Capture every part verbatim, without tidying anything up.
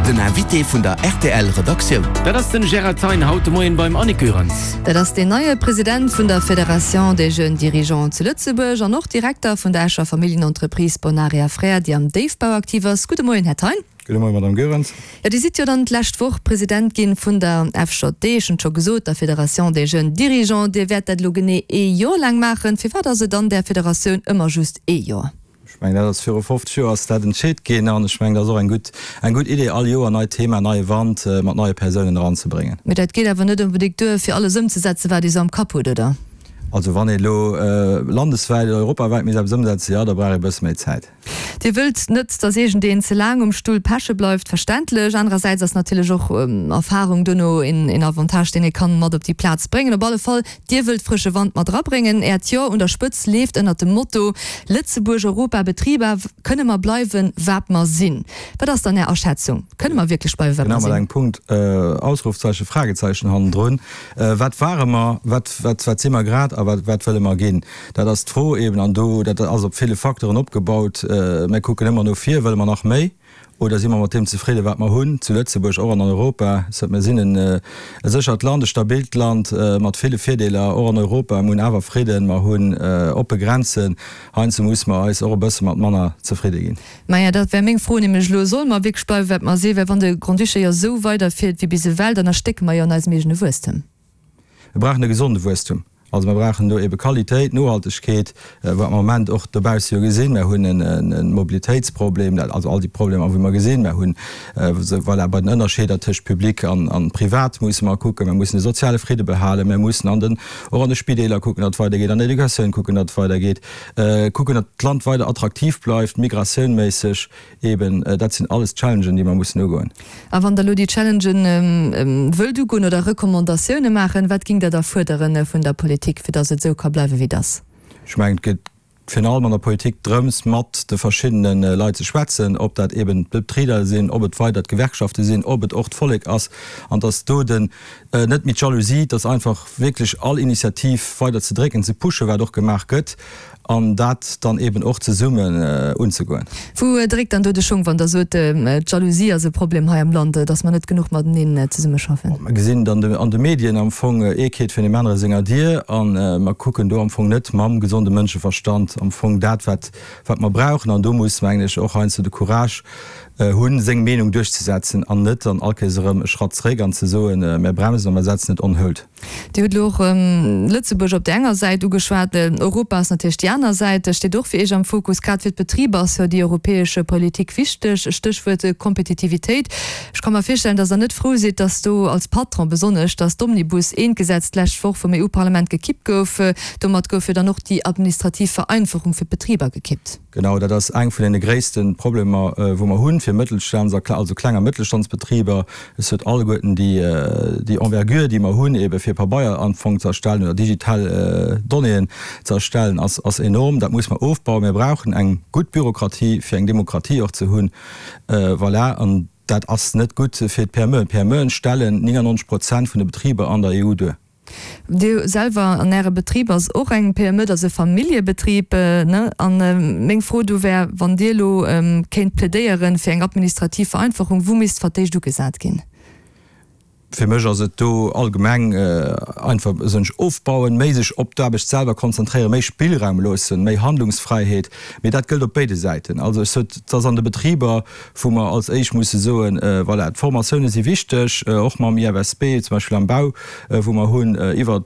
Den Invité vun der R T L Redaktioun. Dat ass den Gérard Thein haut de Moien beim Annick Goerens. Dat ass den neie President vun der Fédération des Jeunes Dirigeants zu Lëtzebuerg an och Direkter vun der Escher Familljenentreprise Bonaria Frères, déi am Déifbau aktiv ass. Gudde Moien, Här Thein. Gudde Moien, Madame Goerens. Ja, Dir sidd jo dann d'lescht Woch President ginn vun der F J D, schonn scho gesot, der Fédération des Jeunes Dirigeants. Dir wäert dat lo genee ee Joer laang maachen. Firwat ass et an der Federatioun ëmmer just ee Joer? Ech mengen, dat ass viru fofzeg Joer ass dat entscheet ginn an ech mengen, dat ass och eng gutt eng gutt Idee, all Joer neit Thema, neie Wand mat neie Persounen eranzebréngen. Mee dat geet awer net onbedéngt duer, fir alles ëmzesetzen, wat Dir sou am Kapp hutt, oder? Also wann ee lo landeswäit oder europawäit misst eppes ëmsetzen, jo, da brauch ee bësse méi Zäit. Dir wëllt net, datt iergendeen ze laang um Stull peche bleift, verständlech. Anerersäits ass natierlech och Erfarung duerno een Avantage, deen ee kann mat op déi Plaz bréngen. Op alle Fall, Dir wëllt frësche Wand mat erabréngen. Äert Joer un der Spëtz leeft ënnert dem Motto Lëtzebuerg, Europa, Betriber, kënne mer bleiwen, wat mer sinn? Wat ass dann Är Aschätzung? Kënne mer wierklech bleiwen, wat Genau, mer mat sinn? engem Punkt, Ausrufzeichen, Fragezeichen hannendrun. Wat ware mer, wat, wat, wat si mer grad a wat, wat wëlle mer ginn? Dat ass d'Fro eben an do, dat ass op ville Facteuren opgebaut. Mir kucken ëmmer no vir, wëlle mer nach méi oder si mer mat deem zefridde wat mer hunn, zu Lëtzebuerg, och an Europa? Mir sinn en e séchert Land, e stabilt Land mat ville Virdeeler, och an Europa. Mir hunn awer Fridden, mer hunn oppe Grenzen. Heiansdo musse mer eis och e bësse mat manner zefridde ginn. Maja, dat wär meng Fro nämlech elo, Solle mer wierklech bleiwen, wat mer sinn? Well wann de Grand-Duché jo esou weiderfiert wéi bis ewell, dann erstécke mer jo an eisem eegene Wuesstem. Mir brauchen e gesonde Wuesstum. Also mer brauchen do ebe Qualitéit, Nohaltegkeet, wat mer am Moment och dobausse jo gesinn. Mer hunn e Mobilitéitsproblem, also all déi Problemer, wou mer gesinn. Mer hunn, voilà, bei den Ënnerscheeder tëscht Public an Privat musse mer kucken. Mer mussen de soziale Fridde behalen. Mer mussen an den, och an de Spideeler kucken, datt et weidergeet, an der Educatioun kucken, datt et weidergeet, kucken, datt d'Land weider attraktiv bleift, migratiounméisseg eben. Dat sinn alles Challengen, déi mer mussen ugoen. A wann Der elo déi Challengen wëllt ugoen oder Recommandatioune maachen, wat géingt Der da fuerdere vun der Politik, fir datt et esou ka bleiwen, wéi et ass? Ech mengen, et geet virun allem an der Politik drëms, mat de verschiddene Leit ze schwätzen, ob dat eben d'Betriber sinn, ob et weider d'Gewerkschafte sinn, ob et och d'Vollek ass, an datt do den net méi d'Jalousie, datt einfach wierklech all Initiativ weider ze drécken, ze pushen, wat och gemaach gëtt, an dat dann eben och zesummen unzegoen. Wou dréckt dann do de Schong, wann Der sot, d'Jalousie ass e Problem hei am Land, datt mer net genuch mateneen zesummeschaffen? Mer gesinn et an de Medien am Fong, ee keet virun deem anere senger Dier, a mer kucken do am Fong net mam gesonde Mënscheverstand am Fong dat, wat wat mer brauchen. An do muss, mengen ech, och heiansdo de Courage hunn, seng Meenung duerchzesetzen an net dann all Kéiers erëm e Schratt zréck an ze soen, mir bremsen a mer setzen et on hold. Dir hutt elo och Lëtzebuerg op där enger Säit ugeschwat. Europa ass natierlech déi aner Säit, steet och fir Iech am Fokus. Grad fir d'Betriber ass jo déi europäesch Politik wichteg, Stéchwuert Kompetitivitéit. Ech ka mer virstellen, datt Der net frou sidd, datt do als Patron besonnesch, datt d'Omnibus I-Gesetz d'lescht Woch vum E U-Parlament gekippt gouf. Domat gouf jo dann och déi administrativ Vereinfachung fir d'Betriber gekippt. Genau, dat ass eng vun deene gréisste Problemer, wou mer hunn, fir Mëttelstands also kleng a Mëttelstandsbetriber. Et huet alleguerten déi déi Envergure, déi mer hunn, ebe fir Pabeier am Fong ze erstellen oder digital Donnéeën ze erstellen, ass ass enorm. Dat muss mer ofbauen. Mir brauchen eng gutt Bürokratie, fir eng Demokratie och ze hunn. Voilà, an dat ass net gutt fir d'P M Eën. D'P M Eën stellen neunundneunzeg Prozent vun de Betriber an der E U duer. Dir selwer an Äre Betrib ass och eng P M E, dat ass e Familljebetrib, ne? An meng Fro do wär, wann Dir elo kéint plädéieren fir eng administrativ Vereinfachung, wou misst fir d'éischt ugesat ginn? Fir mech ass et do allgemeng einfach sech ofbauen, méi sech op d'Aarbecht selwer konzentréieren, méi Spillraum loossen, méi Handlungsfräiheet. Mee dat gëllt op béide Säiten. Also ech sot, et ass an de Betriber, wou mer als éischt musse soen, voilà, d'Formatioune si wichteg, och mam I F S B zum Beispill am Bau, wou mer hunn iwwer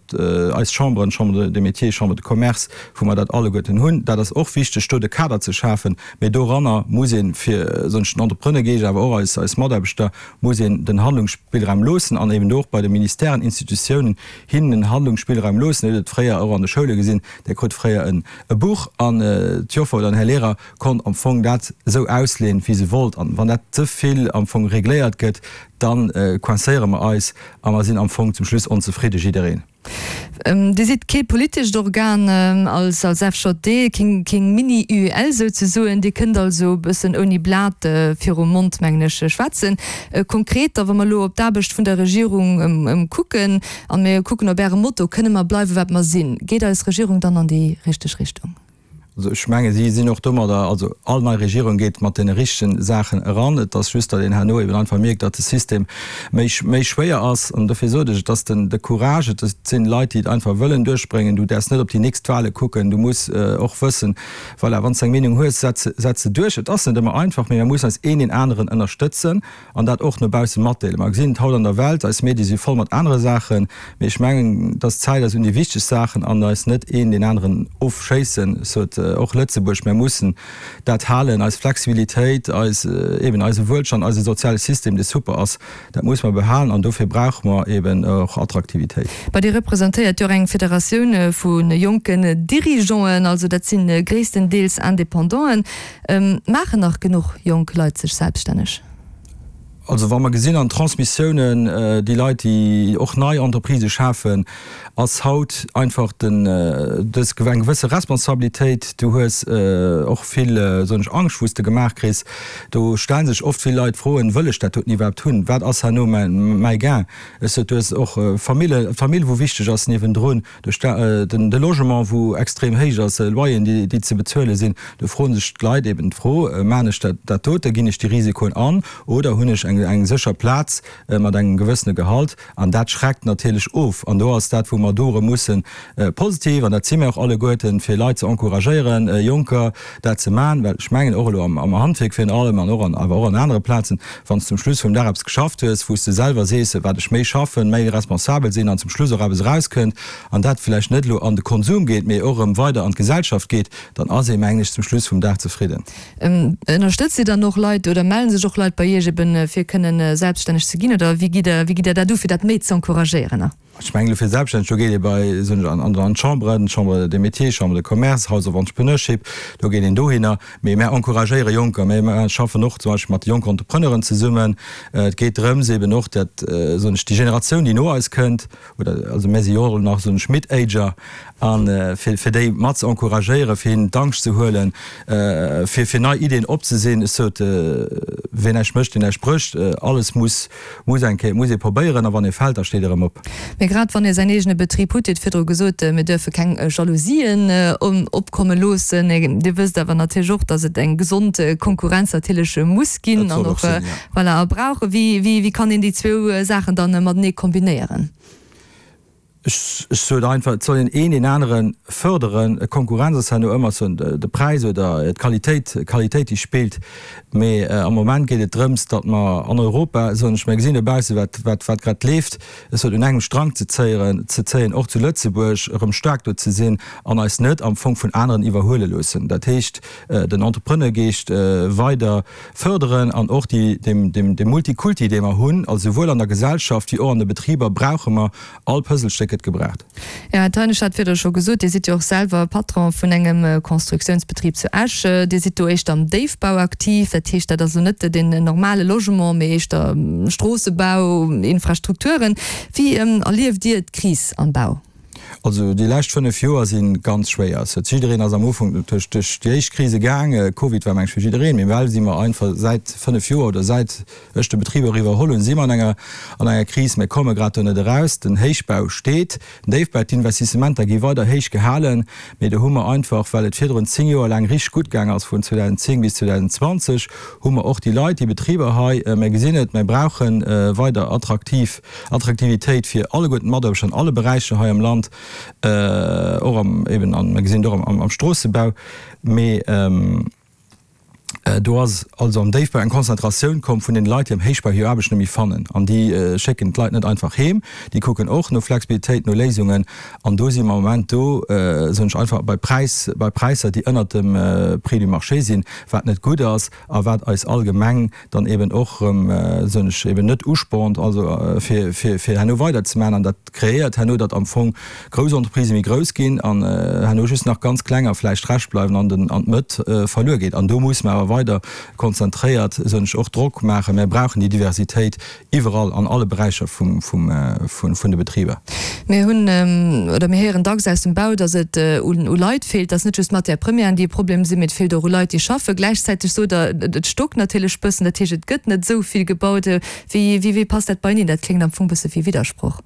eis Chamberen, Chambre des Métiers, Chambre de Commerce, wou mer dat alleguerten hunn. Dat ass och wichteg, do de Kader ze schafen. Mee doranner muss een, fir soen ech den Entrepreneure geescht, awer och eis eis Mataarbechter, muss een den Handlungsspillraum loossen an eben do och bei de Ministèren, Institutiounen hinnen en Handlungsspillraum loossen. Dir hutt et fréier och an de Schoule gesinn, Dir krut fréier en e Buch an d'Joffer oder den Här Lehrer konnt am Fong dat esou ausleeën, wéi se wollt. An wann dat ze vill am Fong regléiert gëtt, dann coincéiere mer eis a mer sinn am Fong zum Schluss onzefridde jiddereen. Dir sidd kee politescht Organ als als F J D, keng keng Mini-U E L souzesoen. Dir kënnt also e bëssen ouni Blat virum Mond, mengen ech, schwätzen. Konkret da, wa mer elo op d'Aarbecht vun der Regierung kucken a mir kucken op Äre Motto, Kënne mer bleiwen, wat mer sinn? Geet eis Regierung dann an déi richteg Richtung? Also ech menge si sinn och domadder, also all nei Regierung geet mat deene richtegen Saachen eran. Et ass just, datt een herno eben einfach mierkt, datt de System méi méi schwéier ass. An dofir sot ech, et ass den de Courage, et sinn Leit, déi et einfach wëllen duerchbréngen. Du däerfs net op déi nächst Wahle kucken, du muss och wëssen, voilà, wann s de eng Meenung hues, setz se setz se duerch. Et ass net ëmmer einfach, mee mir mussen eis een deen aneren ënnerstëtzen an dat och no bausse matdeelen. Mer gesinn et haut an der Welt, eis Medie si voll mat anere Saachen, mee ech mengen, et ass Zäit, eis un déi wichteg Saachen an eis net een deen aneren ofschéissen, sot och Lëtzebuerg. Mer mussen dat halen, eis Flexibilitéit, eis, eben eise Wuelstand, eise soziale System, dee super ass, dat muss mer behalen an dofir brauche mer eben och Attraktivitéit. Bah, Dir representéiert jo och eng Federatioun vu jonken Dirigeanten, also dat si gréisstendeels Independanten. Maachen nach genuch jonk Leit sech selbststänneg? Also wa mer gesinn an d'Transmissiounen, déi Leit, déi och nei Entreprisë schafen, ass haut einfach den, dës eng gewësse Responsabilitéit. Du hues och vill, soen ech, Angscht, wou s de gemaach kriss. Do stelle sech oft vill Leit Froen, Wëll ech dat doten iwwerhaapt hunn? Wat ass herno mäi Gain? Ech sot, du hues och Famille, d'Famill, wou wichteg ass niewendrun, de Logement, wou extrem héich ass, Loyeren, déi ze bezuele sinn. Do froen sech d'Leit eben d'Fro, Maan ech dat dote, ginn ech déi Risikoen an oder hunn ech eng sécher Plaz mat engem gewëssene Gehalt? An dat schreckt natierlech of. An do ass dat, wou mer do erëm mussen positiv, an dat si mir och alleguerten, fir Leit ze encouragéieren, Jonker dat ze maachen, well ech mengen och elo am Handwierk virun allem an och an awer och an anere Plazen, wann s de zum Schluss vum Dag eppes geschafft hues, wou s de selwer sees, wat ech méi schaffen, méi responsabel sinn an zum Schluss och eppes erauskënnt an dat vläicht net elo an de Konsum geet, mee och erëm weider an d'Gesellschaft geet, dann ass ee, mengen ech, zum Schluss vum Dag zefridden. Ënnerstëtzt Dir dann och Leit oder mellen sech och Leit bei Iech eben, fir kënnen selbststänneg ze ginn oder wéi gitt Der, wéi gitt Der dat u fir dat méi ze encouragéieren? Ech mengen elo fir selbststänneg, do geet ee bei, soen ech, an an d'Chamberen, Chambre des Métiers, Chambre de Commerce, House of Entrepreneurship, do geet een dohinner. Mee mär encouragéiere Jonker, mä mär schaffen och zum Beispill mat de jonken Entrepreneuren zesummen. Et geet drëms eben och dat, soen ech, déi Generatioun, déi no eis kënnt, oder also mär si jo och nach, soen ech, Mid-Ager, a fir fir déi mat ze encouragéieren, fir hinnen d'Angscht ze huelen, fir fir nei Ideeën opzesinn. Ech sot, Ween näischt mécht, deen näischt brécht. Alles muss muss eng Kéier, muss ee probéieren, a wann ee fält, da steet ee erëm op. Mee grad wann ee säin eegene Betrib hutt, Dir hutt virdru gesot, mir duerfe keng Jalousien opkomme loossen. Dir wësst awer natierlech och, datt et eng gesond Konkurrenz natierlech muss ginn an och, voilà, a brauch. Wéi wéi kann een déi zwou Saachen dann matenee kombinéieren? Ech sot einfach, et soll een een deen anere fërderen. Konkurrenz ass herno ëmmer sou de Präis oder d'Qualitéit, d'Qualitéit déi spillt. Mee am Moment geet et drëms, datt mer an Europa, soen ech, mir gesinn dobausse wat wat wat grad leeft, ech sot, un engem Strang ze zéieren, ze zéien, och zu Lëtzebuerg erëm staark do ze sinn an eis net am Fong vun aneren iwwerhuele loossen. Dat heescht, den Entrepreneurgeescht weider fërderen an och déi, deem deem deem Multikulti, dee mer hunn, also souwuel an der Gesellschaft wéi och an de Betriber, brauche mer all Puzzlestéck gëtt gebraucht. Jo, Här Thein, ech hat virdru scho gesot, Dir sidd jo och selwer Patron vun engem Constructiounsbetrib zu Esch. Dir sidd do éischter am Déifbau aktiv, dat heescht, dat ass elo net den normale Logement, mee éischter Stroossebau, Infrastrukturen. Wéi erlieft Dir d'Kris am Bau? Also déi lescht fënnef Joer si ganz schwéier. Et huet jiddereen ass am Ufank duerch déi éischt Krise gaang. Covid war meng ech fir jiddereen, mee well si mer einfach säit fënnef Joer oder säit ech de Betrib och iwwerholl hunn, si mer an enger an enger Kris. Mir komme grad do net eraus. Den Héichbau steet, den Déifbau, d'Investissementer gi weider héich gehalen, mee do hu mer einfach, well et virdrun zéng Joer laang richteg gutt gaang ass, vun zweedausendzéng bis zweedausendzwanzeg, hu mer och déi Leit, déi Betriber hei, mir gesinn et, mir brauche weider attraktiv Attraktivitéit fir alleguerten d'Mataarbechter an alle Beräicher hei am Land, och am eben an, mir gesinn et och am Stroossebau, mee do ass also am Déifbau eng Konzentratioun komm vun den Leit, déi am Héichbau hir Aarbecht net méi fannen an déi schécken d'Leit net einfach heem, déi kucken och no Flexibilitéit, no Léisungen an do si mer am Moment do, soen ech einfach, bei Präis, bei Präisser, déi ënnert dem Prix du marché sinn, wat net gutt ass a wat eis allgemeng dann eben och erëm, soen ech, eben net uspornt, also fir, fir, fir herno weiderzemaachen. An dat kreéiert herno, datt am Fong grouss Entreprisë méi grouss ginn an herno just nach ganz klenger vläicht Rescht bleiwen an den, an d'Mëtt verluer geet. An do muss mer awer weider konzentréiert, soen ech, och Drock maachen. Mir brauchen déi Diversitéit iwwerall an alle Beräicher vum, vum, vun, vun de Betriber. Mir hunn, oder mir héieren dacks aus dem Bau, datt et un u Leit feelt, datt net just d'Matière premièren, déi e Problem sinn, mee et feelt och u Leit, déi schaffen. Gläichzäiteg sot Der, et stockt natierlech bëssen, dat heescht, et gëtt net esou vill gebaut. Wéi, wéi, wéi passt dat beieneen? Dat kléngt am Fong bësse wéi Widdersproch.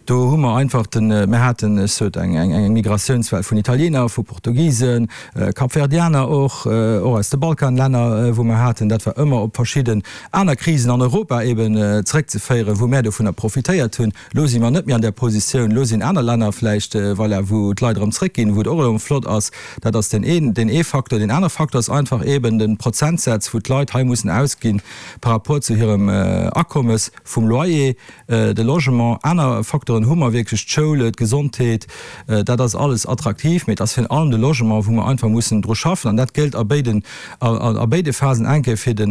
Do hu mer einfach den, mir haten, ech sot, eng, eng, eng Migratiounswell vun Italiener, vu Portugisen, Kapverdianer och, och aus de Balkanlänner, wou mer haten. Dat war ëmmer op verschidden aner Krisen an Europa eben zréckzeféieren, wou mär dovunner profitéiert hunn. Elo si mer net méi an där Positioun. Elo sinn aner Länner vläicht, voilà, wou d'Leit erëm zréckginn, wou et och erëm flott ass. Dat ass deen een, deen ee Faktor. Deen aner Faktor ass einfach eben de Prozentsaz, wou d'Leit hei mussen ausginn par rapport zu hirem Akommes vum Loyer, de Logement. Aner Facteuren hu mer wierklech, d'Schoul, d'Gesondheet, dat ass alles attraktiv, mee et ass virun allem de Logement, wou mer einfach mussen dru schaffen. An dat gëllt a béiden, a béide Phasen, eng Kéier fir de,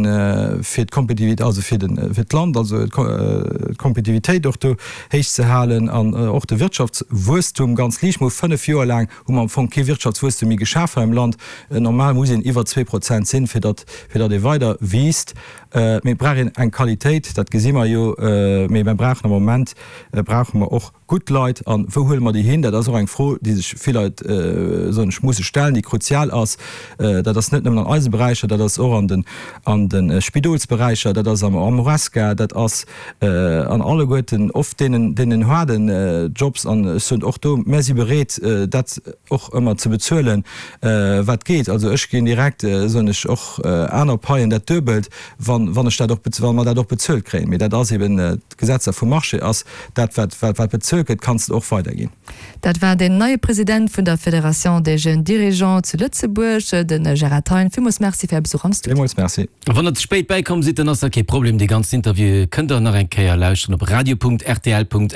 fir d'Kompetitivitéit, also fir de, fir d'Land, also d'Kompetitivitéit och do héich ze halen an och de Wirtschaftswuesstum ganz liicht. Mer hu fënnef Joer laang hu mer am Fong kee Wirtschaftswuesstum méi geschaf hei am Land. Normal muss een iwwer zwee Prozent sinn, fir datt, fir datt ee weider wiisst. Mee et brauch een eng Qualitéit, dat gesi mer jo. Mee mer brauchen am Moment brauche mer och gutt Leit. An wou huele mer déi hin? Dat ass och eng Fro, déi sech vill Leit, soen ech, musse stellen, déi kruzial ass. Dat ass net nëmmen an eise Beräicher, dat ass och an den, an de Spidolsberäicher, dat ass am Horesca, dat ass an alleguerten oft deenen, deenen haarden Jobs. An ech soen och do, mär si bereet, dat och ëmmer ze bezuelen, wat geet. Also ech ginn direkt, soen ech, och aner Paien dat Duebelt, wann, wann ech dat och, wa mer dat och bezuelt kréien. Mee dat ass eben d'Gesetzer vum Marché, ass dat, wat, wat, wat bezuelt gëtt, kanns de och weiderginn. Dat war den neie President vun der Fédération des Jeunes Dirigeants zu Lëtzebuerg, de Gérard Thein. Villmools Merci fir Är Besuch am Studio. Villmools Merci. Wann der ze spéit bäikomm sidd, dann ass dat kee Problem, dee ganzen Interview kënnt der nach eng Kéier lauschteren op radio.rtl.lu.